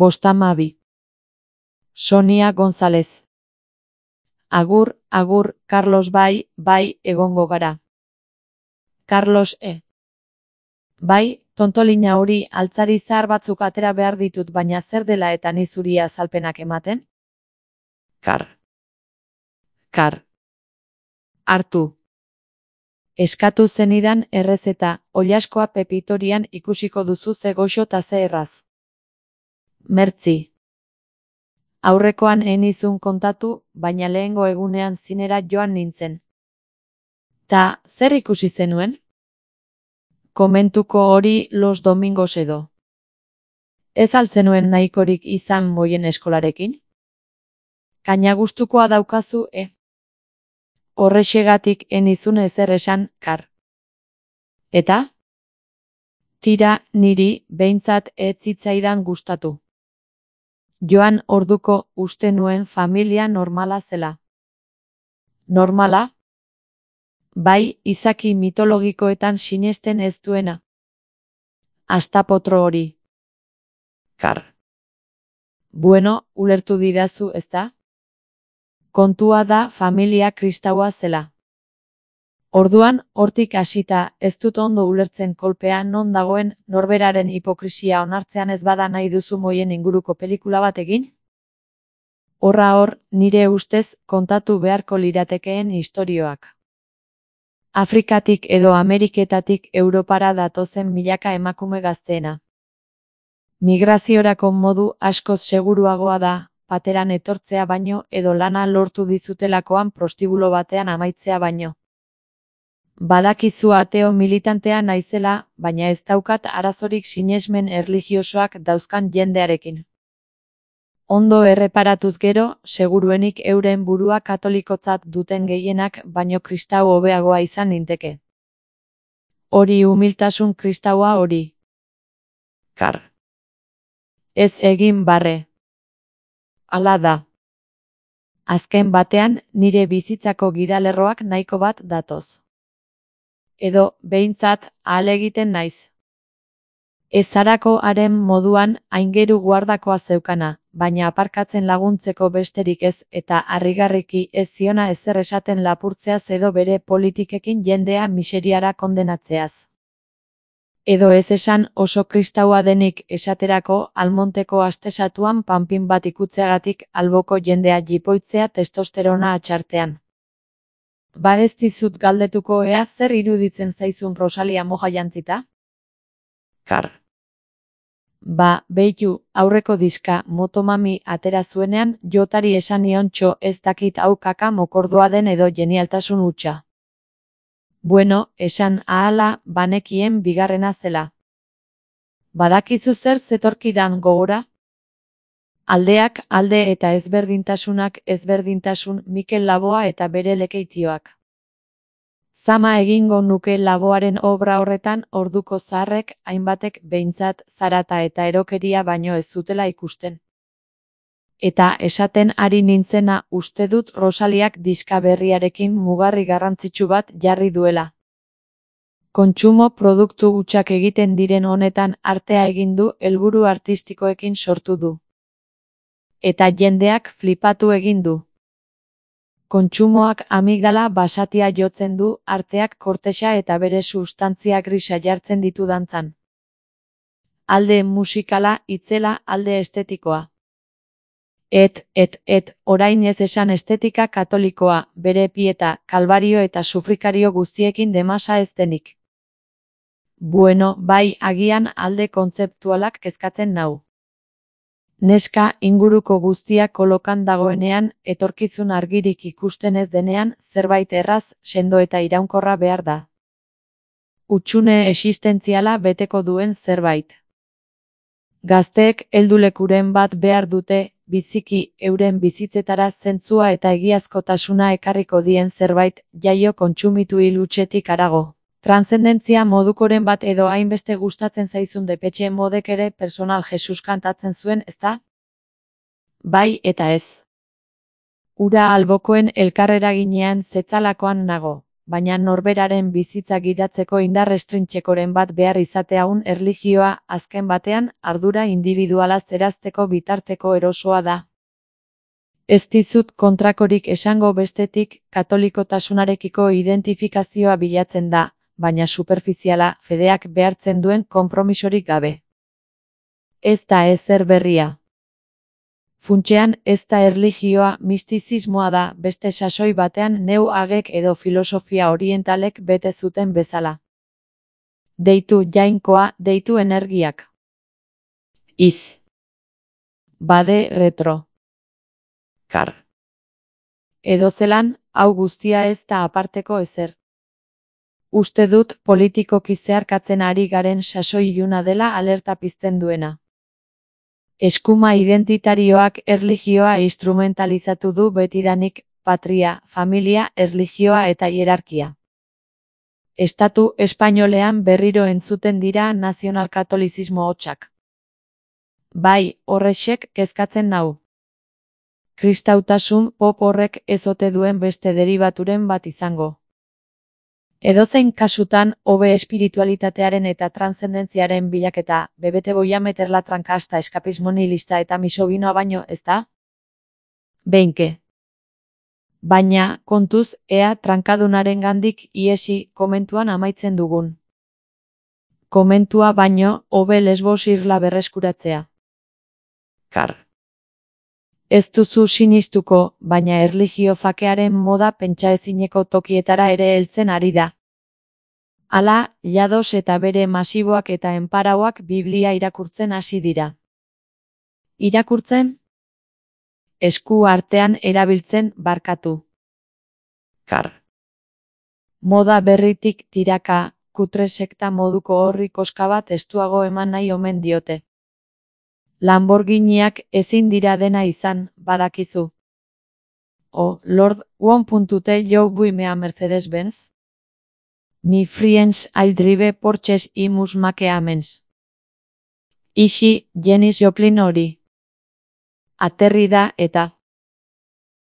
52. Sonia González. Agur, agur, Carlos bai, egongo gara. Carlos Bai, tontolina hori altzari zahar batzuk atera behar ditut baina zer dela eta ni zuri azalpenak ematen? Kar. Hartu. Eskatu zenidan errezeta, oilaskoa pepitorian ikusiko duzu ze goxo ta ze erraz. Mertzi. Aurrekoan enizun kontatu, baina lehengo egunean zinera joan nintzen. Ta, zer ikusi zenuen? Komentuko hori los domingos edo. Ez altzenuen nahikorik izan moien eskolarekin? Kaina gustukoa daukazu, Horrexegatik enizun ezer esan, Kar. Eta? Tira, niri, behintzat ez zitzaidan gustatu. Joan orduko uste nuen familia normala zela. Normala? Bai, izaki mitologikoetan sinesten ez duena. Astapotro hori. Kar. Bueno, ulertu didazu, ezta? Kontua da familia kristaua zela. Orduan, hortik hasita, ez dut ondo ulertzen kolpea non dagoen norberaren hipokrisia onartzean ez bada nahi duzu moien inguruko pelikula bat egin? Horra hor, nire ustez, kontatu beharko liratekeen istorioak. Afrikatik edo Ameriketatik Europara datozen milaka emakume gazteena. Migraziorako modu askoz seguruagoa da, pateran etortzea baino edo lana lortu dizutelakoan prostibulo batean amaitzea baino. Badakizu ateo militantea naizela, baina ez daukat arazorik sinesmen erlijiosoak dauzkan jendearekin. Ondo erreparatuz gero, seguruenik euren burua katolikotzat duten gehienak baino kristau hobeagoa izan ninteke. Hori humiltasun kristaua hori. Kar. Ez egin barre. Hala da. Azken batean, nire bizitzako gidalerroak nahiko bat datoz. Edo, behintzat, ahalegiten naiz. Ezarako haren moduan aingeru guardakoa zeukana, baina aparkatzen laguntzeko besterik ez eta harrigarriki ez ziona ezer esaten lapurtzeaz edo bere politikekin jendea miseriara kondenatzeaz. Edo ez esan oso kristaua denik esaterako Almonteko astesatuan panpin bat ikutzeagatik alboko jendea jipoitzea testosterona atxartean. Ba ez dizut galdetuko ea zer iruditzen zaizun Rosalia moja jantzita? Kar. Ba, beitu, aurreko diska Motomami atera zuenean jotari esan niontxo ez dakit hau kaka mokordoa den edo genialtasun hutsa. Bueno, esan ahala banekien bigarrena zela. Badakizu zer zetorkidan gogora? Aldeak alde eta ezberdintasunak ezberdintasun Mikel Laboa eta bere lekeitioak. Zama egingo nuke Laboaren obra horretan orduko zaharrek hainbatek behintzat zarata eta erokeria baino ez zutela ikusten. Eta esaten ari nintzena uste dut Rosaliak diska berriarekin mugarri garrantzitsu bat jarri duela. Kontsumo produktu hutsak egiten diren honetan artea egin du helburu artistikoekin sortu du. Eta jendeak flipatu egin du. Kontsumoak amigdala basatia jotzen du, arteak kortexa eta bere sustantzia grisa jartzen ditu dantzan. Alde musikala, itzela, alde estetikoa. Orain ez esan estetika katolikoa, bere pieta, kalbario eta sufrikario guztiekin demasa ez denik. Bueno, bai, agian alde kontzeptualak kezkatzen nau. Neska inguruko guztia kolokan dagoenean, etorkizun argirik ikusten ez denean, zerbait erraz, sendo eta iraunkorra behar da. Hutsune existentziala beteko duen zerbait. Gazteek heldulekuren bat behar dute, biziki euren bizitzetara zentzua eta egiazkotasuna ekarriko dien zerbait, jaio kontsumitu hilutxetik harago. Transzendentzia modukoren bat edo hainbeste gustatzen zaizun Depetxe Modek ere personal Jesus kantatzen zuen, ezta? Bai eta ez. Ura albokoen elkarreraginean zetzalakoan nago, baina norberaren bizitza gidatzeko indar estrintxekoren bat behar izateaun erlijioa, azken batean, ardura individuala zerazteko bitarteko erosoa da. Ez dizut kontrakorik esango bestetik, katolikotasunarekiko identifikazioa bilatzen da, baina superfiziala, fedeak behartzen duen konpromisorik gabe. Ez da ezer berria. Funtsean ez da erlijioa, mistizismoa da, beste sasoi batean neu agek edo filosofia orientalek bete zuten bezala. Deitu jainkoa, deitu energiak. Iz. Bade retro. Kar. Edozelan, hau guztia ez da aparteko ezer. Uste dut politikoki zeharkatzen ari garen sasoi iluna dela alerta pizten duena. Eskuma identitarioak erlijioa instrumentalizatu du betidanik, patria, familia, erlijioa eta hierarkia. Estatu espainolean berriro entzuten dira nazionalkatolizismo hotsak. Bai, horrexek kezkatzen nau. Kristautasun pop horrek ez ote duen beste deribaturen bat izango. Edozein kasutan, hobe espiritualitatearen eta transzendentziaren bilaketa, bebete boia meterla trankasta eskapismo nihilista eta misoginoa baino, ezta? Beinke. Baina, kontuz, ea trankadunaren gandik iesi komentuan amaitzen dugun. Komentua baino, hobe Lesbos irla berreskuratzea. Kar. Ez duzu sinistuko, baina erlijio fakearen moda pentsaezineko tokietara ere heltzen ari da. Hala, Llados eta bere masiboak eta enparauak Biblia irakurtzen hasi dira. Irakurtzen? Esku artean erabiltzen barkatu. Kar. Moda berritik tiraka, kutre sekta moduko horri koska bat estuago eman nahi omen diote. Lamborghiniak ezin dira dena izan, badakizu. Oh, Lord, won't tell you buy me a Mercedes-Benz? My friends, I'll drive Porsches y mus make amens. Ixi, Janis Joplin hori. Aterri da eta